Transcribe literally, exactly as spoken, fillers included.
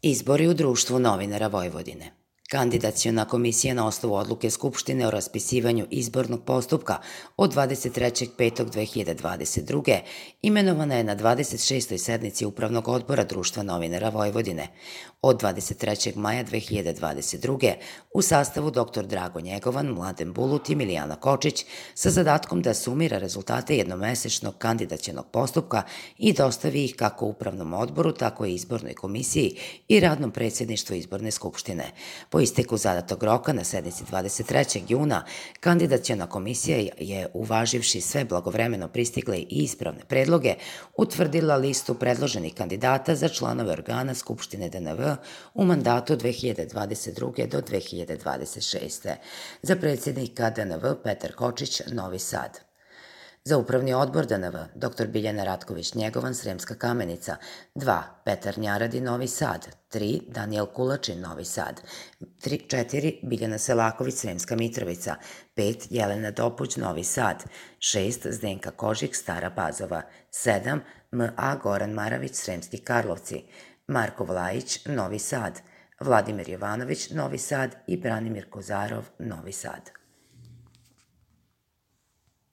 Izbori u Društvu novinara Vojvodine. Kandidaciona komisija na osnovu odluke Skupštine o raspisivanju izbornog postupka od dvadeset trećeg petog dve hiljade dvadeset druge. imenovana je na dvadeset šestoj sednici Upravnog odbora Društva novinara Vojvodine od dvadeset trećeg maja dve hiljade dvadeset druge. u sastavu dr Drago Njegovan, Mladen Bulut i Milijana Kočić sa zadatkom da sumira rezultate jednomesečnog kandidacionog postupka i dostavi ih kako Upravnom odboru, tako i Izbornoj komisiji i radnom predsjedništvu Izborne skupštine. Po isteku zadatog roka na sednici dvadeset trećeg juna, kandidaciona komisija je, uvaživši sve blagovremeno pristigle i ispravne predloge, utvrdila listu predloženih kandidata za članove organa Skupštine D N V u mandatu dve hiljade dvadeset druge. do dve hiljade dvadeset šeste. Za predsjednika D N V Petar Kočić, Novi Sad. Za Upravni odbor D N V dr Biljana Ratković Njegovan, Sremska Kamenica, dva Petar Njaradi, Novi Sad, tri Danijel Kulačin, Novi Sad, četiri Biljana Selaković, Sremska Mitrovica, pet Jelena Dopuć, Novi Sad, šest Zdenka Kožik, Stara Pazova, sedam M A Goran Maravić, Sremski Karlovci, Marko Vlajić, Novi Sad, Vladimir Jovanović, Novi Sad i Branimir Kozarov, Novi Sad.